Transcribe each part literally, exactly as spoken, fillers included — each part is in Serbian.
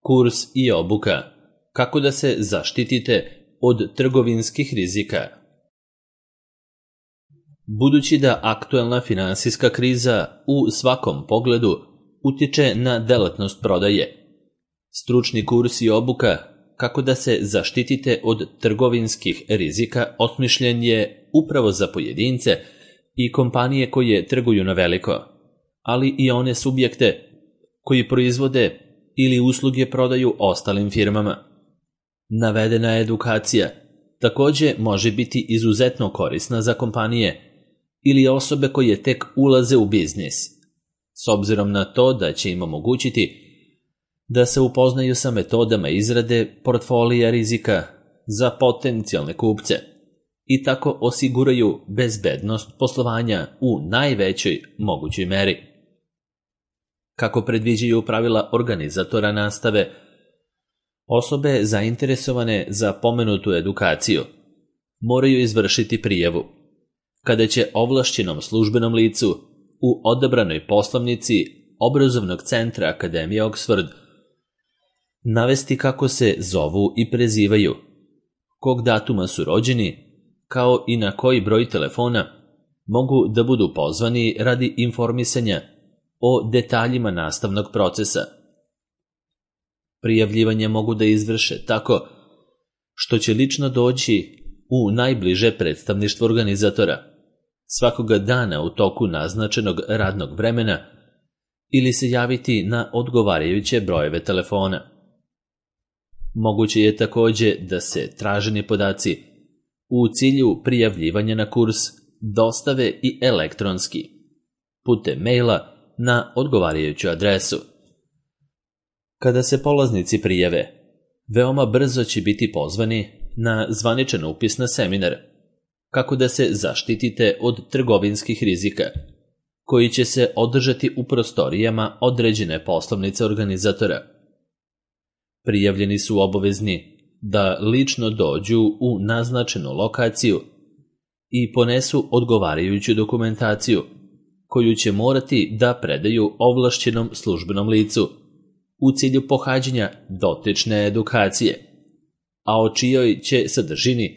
Kurs i obuka. Kako da se zaštitite od trgovinskih rizika. Budući da aktuelna finansijska kriza u svakom pogledu utiče na delatnost prodaje, stručni kurs i obuka kako da se zaštitite od trgovinskih rizika osmišljen je upravo za pojedince i kompanije koje trguju na veliko, ali i one subjekte koji proizvode ili usluge prodaju ostalim firmama. Navedena edukacija također može biti izuzetno korisna za kompanije ili osobe koje tek ulaze u biznis, s obzirom na to da će im omogućiti da se upoznaju sa metodama izrade portfolija rizika za potencijalne kupce i tako osiguraju bezbednost poslovanja u najvećoj mogućoj meri. Kako predviđaju pravila organizatora nastave, osobe zainteresovane za pomenutu edukaciju moraju izvršiti prijavu, kada će ovlašćenom službenom licu u odabranoj poslovnici obrazovnog centra Akademije Oxford navesti kako se zovu i prezivaju, kog datuma su rođeni, kao i na koji broj telefona mogu da budu pozvani radi informisanja o detaljima nastavnog procesa. Prijavljivanje mogu da izvrše tako što će lično doći u najbliže predstavništvo organizatora svakoga dana u toku naznačenog radnog vremena ili se javiti na odgovarajuće brojeve telefona. Moguće je također da se traženi podaci u cilju prijavljivanja na kurs dostave i elektronski, putem maila na odgovarajuću adresu. Kada se polaznici prijave, veoma brzo će biti pozvani na zvaničan upis na seminar, kako da se zaštitite od trgovinskih rizika, koji će se održati u prostorijama određene poslovnice organizatora. Prijavljeni su obavezni da lično dođu u naznačenu lokaciju i ponesu odgovarajuću dokumentaciju, koju će morati da predaju ovlašćenom službenom licu u cilju pohađanja dotične edukacije, a o čijoj će sadržini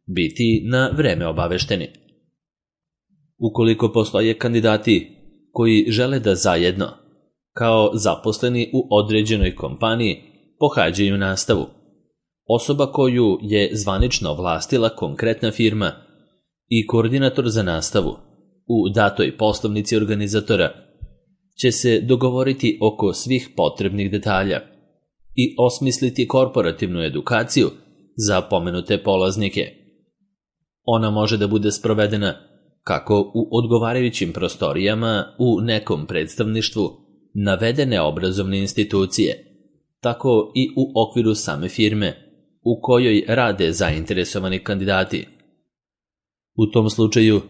biti na vreme obavešteni. Ukoliko postoje kandidati koji žele da zajedno, kao zaposleni u određenoj kompaniji, pohađaju nastavu, osoba koju je zvanično ovlastila konkretna firma i koordinator za nastavu u datoj poslovnici organizatora će se dogovoriti oko svih potrebnih detalja i osmisliti korporativnu edukaciju za pomenute polaznike. Ona može da bude sprovedena kako u odgovarajućim prostorijama u nekom predstavništvu navedene obrazovne institucije, tako i u okviru same firme u kojoj rade zainteresovani kandidati. U tom slučaju,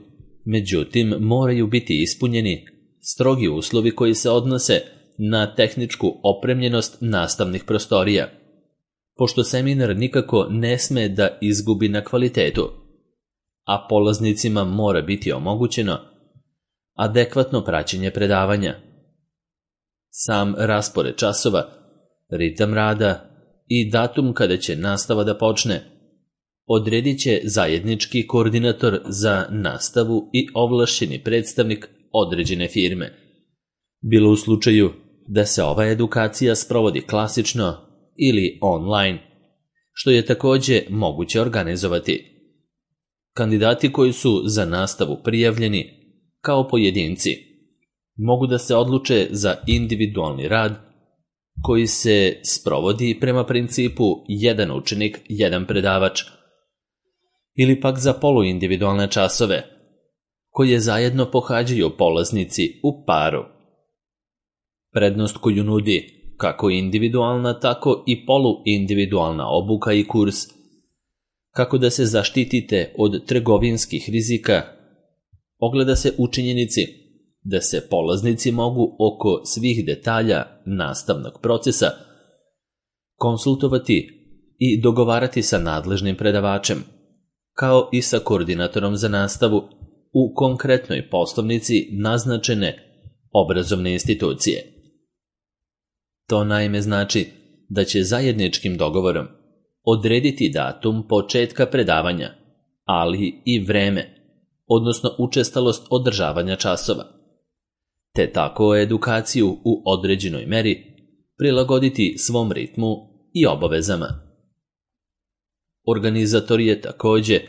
međutim, moraju biti ispunjeni strogi uslovi koji se odnose na tehničku opremljenost nastavnih prostorija, pošto seminar nikako ne sme da izgubi na kvalitetu, a polaznicima mora biti omogućeno adekvatno praćenje predavanja. Sam raspored časova, ritam rada i datum kada će nastava da počne odredit će zajednički koordinator za nastavu i ovlašćeni predstavnik određene firme, bilo u slučaju da se ova edukacija sprovodi klasično ili online, što je također moguće organizovati. Kandidati koji su za nastavu prijavljeni kao pojedinci mogu da se odluče za individualni rad koji se sprovodi prema principu jedan učenik, jedan predavač, ili pak za poluindividualne časove koje zajedno pohađaju polaznici u paru. Prednost koju nudi kako individualna, tako i poluindividualna obuka i kurs, kako da se zaštitite od trgovinskih rizika, ogleda se u činjenici da se polaznici mogu oko svih detalja nastavnog procesa konsultovati i dogovarati sa nadležnim predavačem, kao i sa koordinatorom za nastavu u konkretnoj poslovnici naznačene obrazovne institucije. To naime znači da će zajedničkim dogovorom odrediti datum početka predavanja, ali i vreme, odnosno učestalost održavanja časova, te tako edukaciju u određenoj meri prilagoditi svom ritmu i obavezama. Organizator je takođe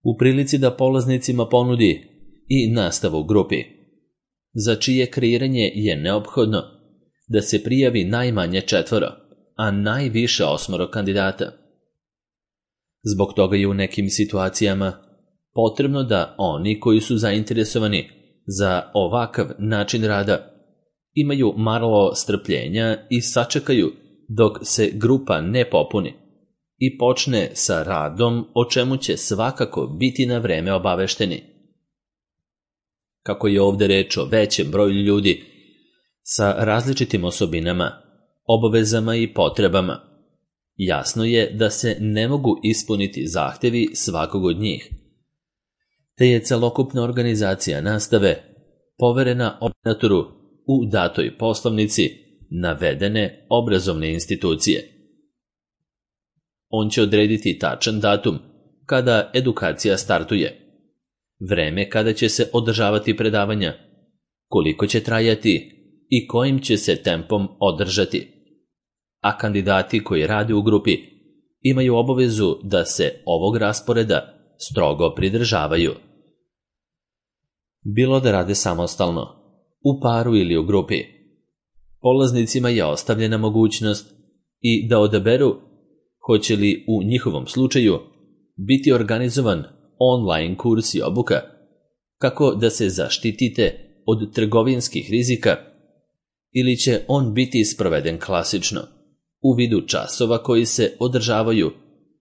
u prilici da polaznicima ponudi i nastavu u grupi, za čije kreiranje je neophodno da se prijavi najmanje četvoro, a najviše osmoro kandidata. Zbog toga je u nekim situacijama potrebno da oni koji su zainteresovani za ovakav način rada imaju malo strpljenja i sačekaju dok se grupa ne popuni i počne sa radom, o čemu će svakako biti na vreme obavešteni. Kako je ovde reč o većem broju ljudi sa različitim osobinama, obavezama i potrebama, jasno je da se ne mogu ispuniti zahtevi svakog od njih, te je celokupna organizacija nastave poverena ordinatoru u datoj poslovnici navedene obrazovne institucije. On će odrediti tačan datum kada edukacija startuje, vreme kada će se održavati predavanja, koliko će trajati i kojim će se tempom održati, a kandidati koji rade u grupi imaju obavezu da se ovog rasporeda strogo pridržavaju. Bilo da rade samostalno, u paru ili u grupi, polaznicima je ostavljena mogućnost i da odaberu hoće li u njihovom slučaju biti organizovan online kurs i obuka kako da se zaštitite od trgovinskih rizika ili će on biti sproveden klasično u vidu časova koji se održavaju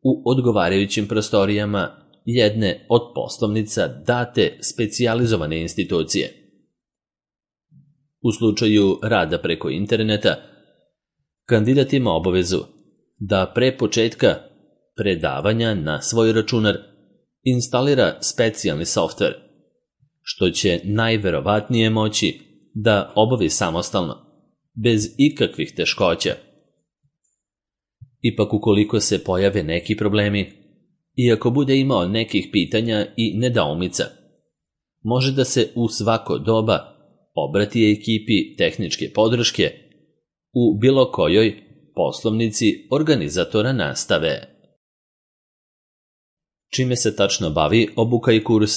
u odgovarajućim prostorijama jedne od poslovnica date specijalizovane institucije. U slučaju rada preko interneta, kandidat ima obavezu da pre početka predavanja na svoj računar instalira specijalni softver, što će najverovatnije moći da obavi samostalno, bez ikakvih teškoća. Ipak ukoliko se pojave neki problemi, i ako bude imao nekih pitanja i nedoumica, može da se u svako doba obrati ekipi tehničke podrške u bilo kojoj poslovnici organizatora nastave. Čime se tačno bavi obuka i kurs,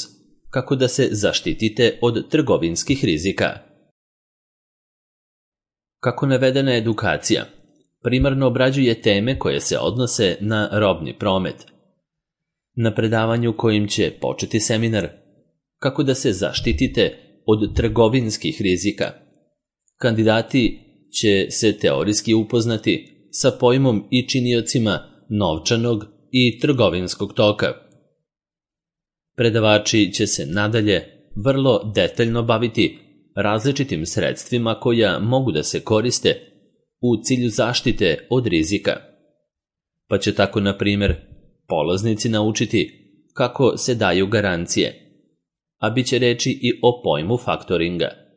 kako da se zaštitite od trgovinskih rizika? Kako navedena edukacija primarno obrađuje teme koje se odnose na robni promet. Na predavanju kojim će početi seminar kako da se zaštitite od trgovinskih rizika, kandidati će se teorijski upoznati sa pojmom i činiocima novčanog i trgovinskog toka. Predavači će se nadalje vrlo detaljno baviti različitim sredstvima koja mogu da se koriste u cilju zaštite od rizika, pa će tako, na primjer, polaznici naučiti kako se daju garancije, a bit će reči i o pojmu faktoringa.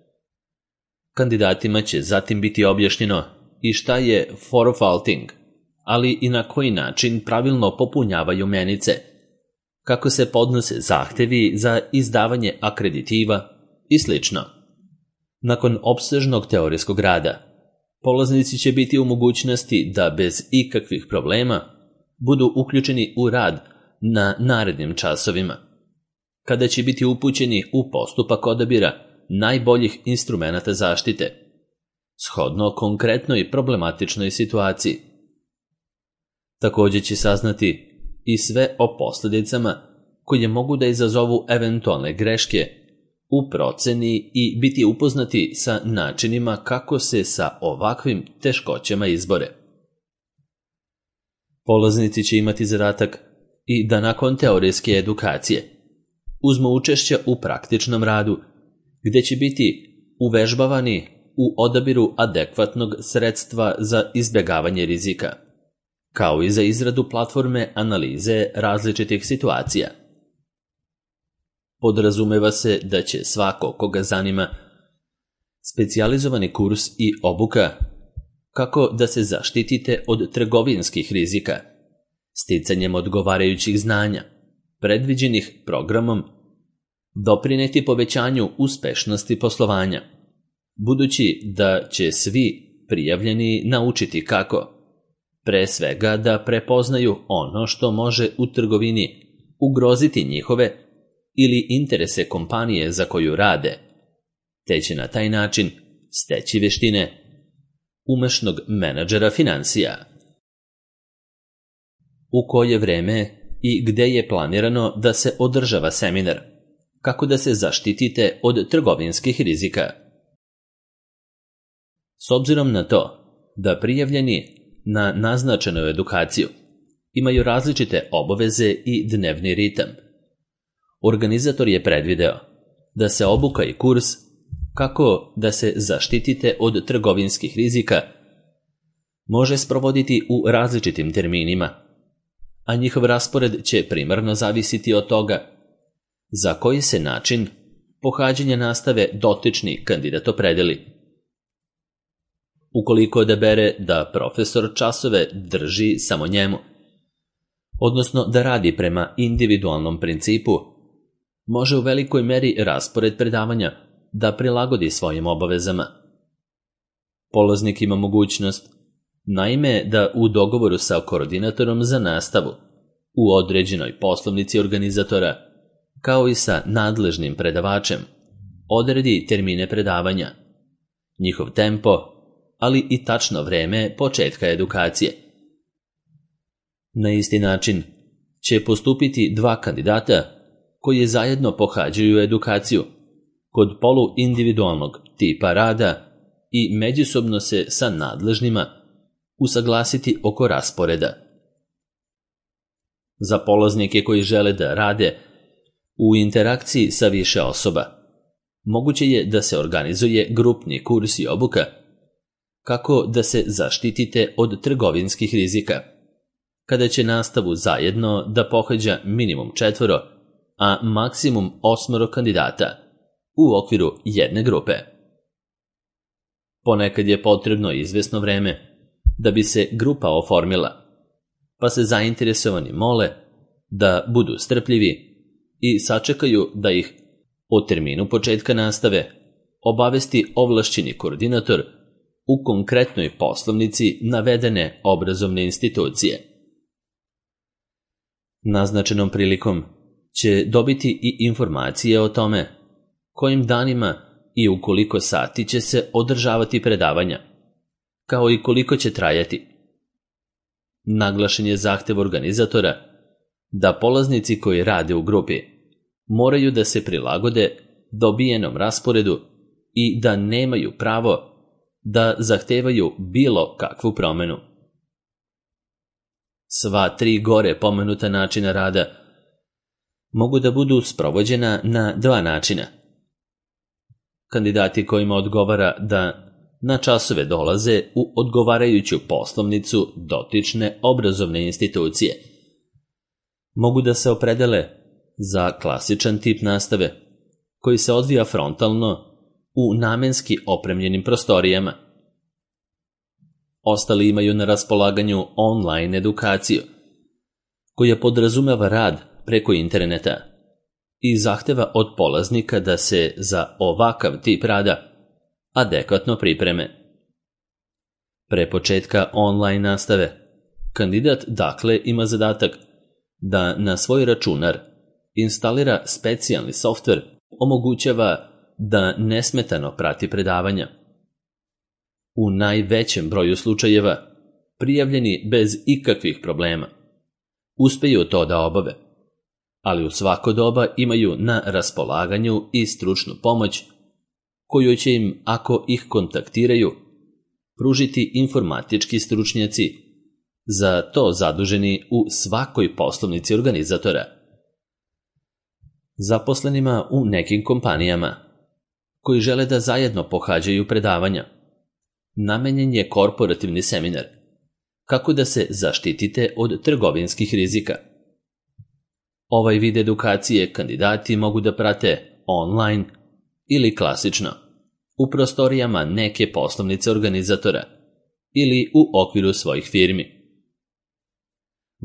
Kandidatima će zatim biti objašnjeno i šta je forfalting, ali i na koji način pravilno popunjavaju menice, kako se podnose zahtevi za izdavanje akreditiva i sl. Nakon opsežnog teorijskog rada, polaznici će biti u mogućnosti da bez ikakvih problema budu uključeni u rad na narednim časovima, kada će biti upućeni u postupak odabira najboljih instrumenata zaštite, shodno konkretnoj problematičnoj situaciji. Također će saznati i sve o posljedicama koje mogu da izazovu eventualne greške u proceni i biti upoznati sa načinima kako se sa ovakvim teškoćama izbore. Polaznici će imati zadatak i da nakon teorijske edukacije uzmu učešće u praktičnom radu, gde će biti uvežbavani u odabiru adekvatnog sredstva za izbjegavanje rizika, kao i za izradu platforme analize različitih situacija. Podrazumeva se da će svako koga zanima specijalizovani kurs i obuka, kako da se zaštitite od trgovinskih rizika, sticanjem odgovarajućih znanja, predviđenih programom, doprineti povećanju uspešnosti poslovanja, budući da će svi prijavljeni naučiti kako, pre svega da prepoznaju ono što može u trgovini ugroziti njihove ili interese kompanije za koju rade, te će na taj način steći veštine umešnog menadžera finansija. U koje vreme i gde je planirano da se održava seminar? Kako da se zaštitite od trgovinskih rizika? S obzirom na to da prijavljeni na naznačenu edukaciju imaju različite obaveze i dnevni ritam, organizator je predvideo da se obuka i kurs kako da se zaštitite od trgovinskih rizika može sprovoditi u različitim terminima, a njihov raspored će primarno zavisiti od toga za koji se način pohađanja nastave dotični kandidat opredeli. Ukoliko odabere da profesor časove drži samo njemu, odnosno da radi prema individualnom principu, može u velikoj meri raspored predavanja da prilagodi svojim obavezama. Polaznik ima mogućnost, naime, da u dogovoru sa koordinatorom za nastavu u određenoj poslovnici organizatora, kao i sa nadležnim predavačem, odredi termine predavanja, njihov tempo, ali i tačno vreme početka edukacije. Na isti način će postupiti dva kandidata koji zajedno pohađaju edukaciju kod poluindividualnog tipa rada i međusobno se sa nadležnima usaglasiti oko rasporeda. Za polaznike koji žele da rade u interakciji sa više osoba, moguće je da se organizuje grupni kurs i obuka kako da se zaštitite od trgovinskih rizika, kada će nastavu zajedno da pohađa minimum četvoro, a maksimum osmoro kandidata u okviru jedne grupe. Ponekad je potrebno izvesno vreme da bi se grupa oformila, pa se zainteresovani mole da budu strpljivi i sačekaju da ih o terminu početka nastave obavesti ovlašćeni koordinator u konkretnoj poslovnici navedene obrazovne institucije. Naznačenom prilikom će dobiti i informacije o tome kojim danima i u koliko sati će se održavati predavanja, kao i koliko će trajati. Naglašen je zahtev organizatora da polaznici koji rade u grupi moraju da se prilagode dobijenom rasporedu i da nemaju pravo da zahtevaju bilo kakvu promenu. Sva tri gore pomenuta načina rada mogu da budu sprovođena na dva načina. Kandidati kojima odgovara da na časove dolaze u odgovarajuću poslovnicu dotične obrazovne institucije mogu da se opredele za klasičan tip nastave koji se odvija frontalno u namenski opremljenim prostorijama. Ostali imaju na raspolaganju online edukaciju koja podrazumeva rad preko interneta i zahteva od polaznika da se za ovakav tip rada adekvatno pripreme. Pre početka online nastave, kandidat dakle ima zadatak da na svoj računar instalira specijalni softver omogućava da nesmetano prati predavanja. U najvećem broju slučajeva prijavljeni bez ikakvih problema uspeju to da obave, ali u svako doba imaju na raspolaganju i stručnu pomoć koju će im, ako ih kontaktiraju, pružiti informatički stručnjaci, za to zaduženi u svakoj poslovnici organizatora. Zaposlenima u nekim kompanijama koji žele da zajedno pohađaju predavanja, namenjen je korporativni seminar kako da se zaštitite od trgovinskih rizika. Ovaj vid edukacije kandidati mogu da prate online ili klasično u prostorijama neke poslovnice organizatora ili u okviru svojih firmi.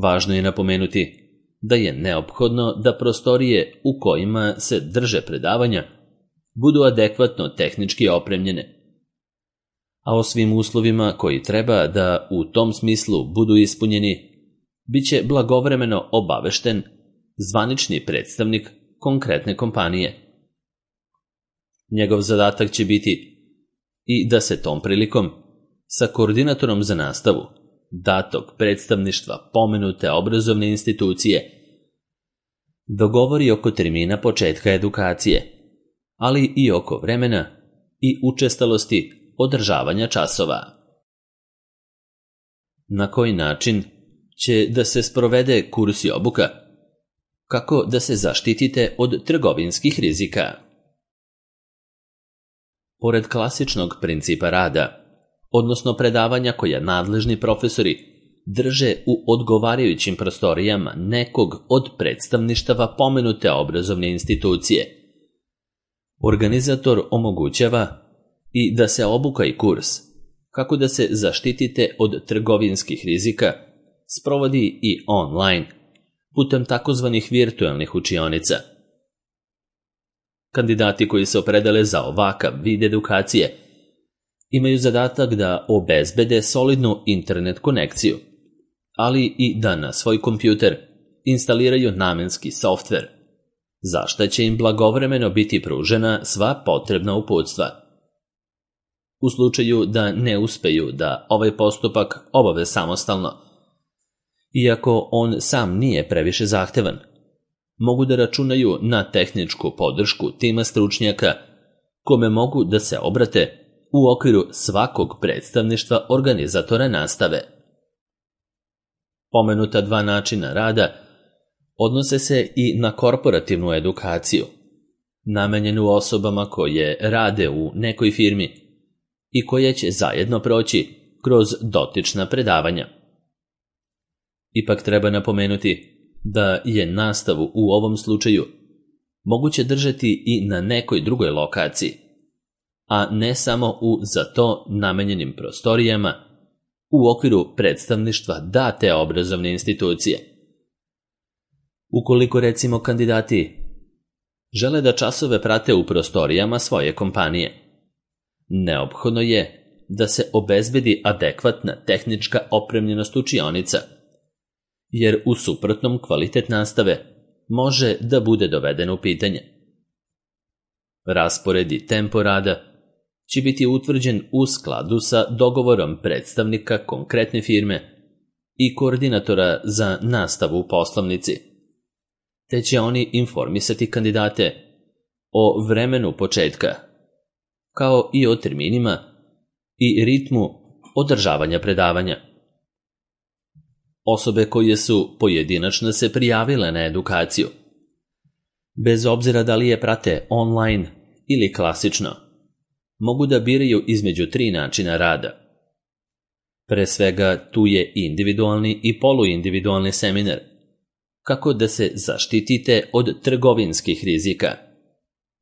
Važno je napomenuti da je neophodno da prostorije u kojima se drže predavanja budu adekvatno tehnički opremljene, a o svim uslovima koji treba da u tom smislu budu ispunjeni bit će blagovremeno obavešten zvanični predstavnik konkretne kompanije. Njegov zadatak će biti i da se tom prilikom sa koordinatorom za nastavu datog predstavništva pomenute obrazovne institucije dogovori oko termina početka edukacije, ali i oko vremena i učestalosti održavanja časova. Na koji način će da se sprovede kurs i obuka? Kako da se zaštitite od trgovinskih rizika? Pored klasičnog principa rada, odnosno predavanja koja nadležni profesori drže u odgovarajućim prostorijama nekog od predstavništava pomenute obrazovne institucije, organizator omogućava i da se obuka i kurs kako da se zaštitite od trgovinskih rizika sprovodi i online putem takozvanih virtualnih učionica. Kandidati koji se opredele za ovakav vid edukacije imaju zadatak da obezbede solidnu internet konekciju, ali i da na svoj kompjuter instaliraju namenski softver, za šta će im blagovremeno biti pružena sva potrebna uputstva. U slučaju da ne uspeju da ovaj postupak obave samostalno, iako on sam nije previše zahtevan, mogu da računaju na tehničku podršku tima stručnjaka kome mogu da se obrate u okviru svakog predstavništva organizatora nastave. Pomenuta dva načina rada odnose se i na korporativnu edukaciju, namenjenu osobama koje rade u nekoj firmi i koje će zajedno proći kroz dotična predavanja. Ipak treba napomenuti da je nastavu u ovom slučaju moguće držati i na nekoj drugoj lokaciji, a ne samo u za to namenjenim prostorijama u okviru predstavništva date obrazovne institucije. Ukoliko recimo kandidati žele da časove prate u prostorijama svoje kompanije, neophodno je da se obezbedi adekvatna tehnička opremljenost učionica, jer u suprotnom kvalitet nastave može da bude doveden u pitanje. Raspored i tempo rada će biti utvrđen u skladu sa dogovorom predstavnika konkretne firme i koordinatora za nastavu u poslovnici, te će oni informisati kandidate o vremenu početka, kao i o terminima i ritmu održavanja predavanja. Osobe koje su pojedinačno se prijavile na edukaciju, bez obzira da li je prate online ili klasično, mogu da biraju između tri načina rada. Pre svega tu je individualni i poluindividualni seminar, kako da se zaštitite od trgovinskih rizika,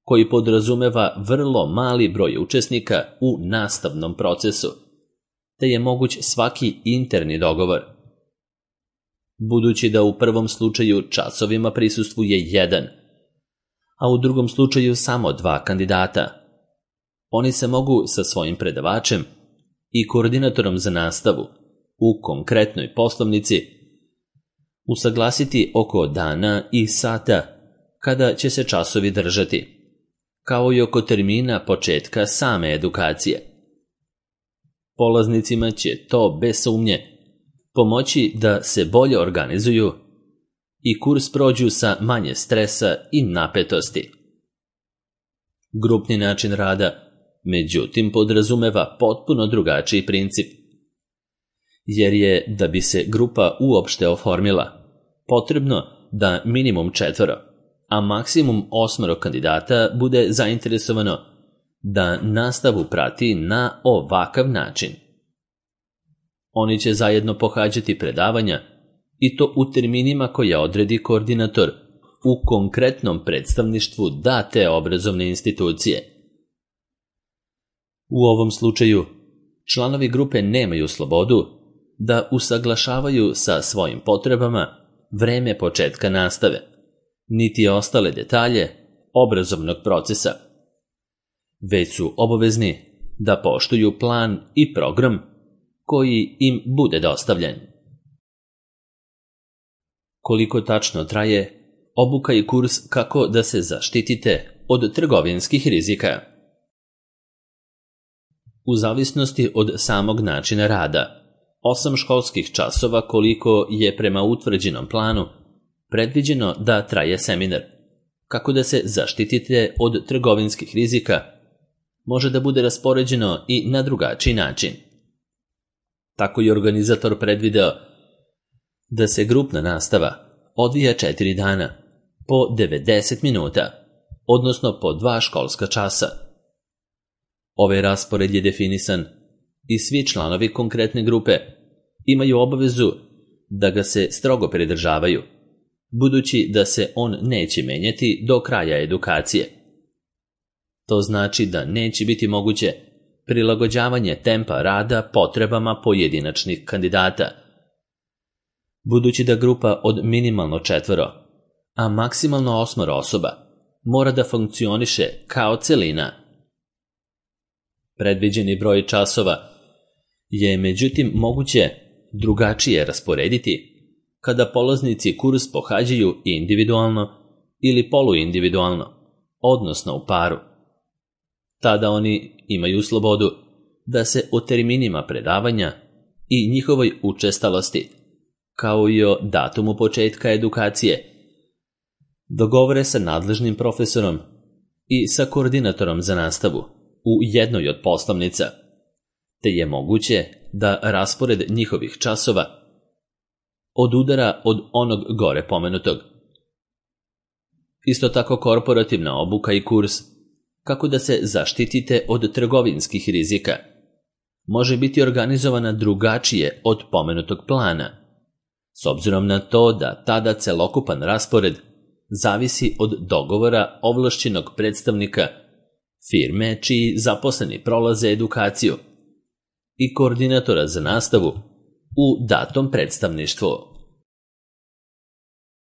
koji podrazumeva vrlo mali broj učesnika u nastavnom procesu, te je moguć svaki interni dogovor. Budući da u prvom slučaju časovima prisustvuje jedan, a u drugom slučaju samo dva kandidata, oni se mogu sa svojim predavačem i koordinatorom za nastavu u konkretnoj poslovnici usaglasiti oko dana i sata kada će se časovi držati, kao i oko termina početka same edukacije. Polaznicima će to bez sumnje pomoći da se bolje organizuju i kurs prođu sa manje stresa i napetosti. Grupni način rada, međutim, podrazumeva potpuno drugačiji princip, jer je, da bi se grupa uopšte oformila, potrebno da minimum četvoro, a maksimum osmoro kandidata bude zainteresovano da nastavu prati na ovakav način. Oni će zajedno pohađati predavanja i to u terminima koje odredi koordinator u konkretnom predstavništvu date obrazovne institucije. U ovom slučaju, članovi grupe nemaju slobodu da usaglašavaju sa svojim potrebama vreme početka nastave, niti ostale detalje obrazovnog procesa, već su obavezni da poštuju plan i program koji im bude dostavljen. Koliko tačno traje obuka i kurs kako da se zaštitite od trgovinskih rizika? U zavisnosti od samog načina rada, osam školskih časova koliko je prema utvrđenom planu predviđeno da traje seminar, kako da se zaštitite od trgovinskih rizika, može da bude raspoređeno i na drugačiji način. Tako je organizator predvideo da se grupna nastava odvija četiri dana, po devedeset minuta, odnosno po dva školska časa. Ovaj raspored je definisan i svi članovi konkretne grupe imaju obavezu da ga se strogo pridržavaju, budući da se on neće menjati do kraja edukacije. To znači da neće biti moguće prilagođavanje tempa rada potrebama pojedinačnih kandidata. Budući da grupa od minimalno četvoro, a maksimalno osmoro osoba, mora da funkcioniše kao celina. Predviđeni broj časova je međutim moguće drugačije rasporediti kada polaznici kurs pohađaju individualno ili poluindividualno, odnosno u paru. Tada oni imaju slobodu da se o terminima predavanja i njihovoj učestalosti, kao i o datumu početka edukacije, dogovore sa nadležnim profesorom i sa koordinatorom za nastavu u jednoj od poslovnica, te je moguće da raspored njihovih časova odudara od onog gore pomenutog. Isto tako korporativna obuka i kurs kako da se zaštitite od trgovinskih rizika može biti organizovana drugačije od pomenutog plana, s obzirom na to da tada celokupan raspored zavisi od dogovora ovlašćenog predstavnika firme čiji zaposleni prolaze edukaciju i koordinatora za nastavu u datom predstavništvu.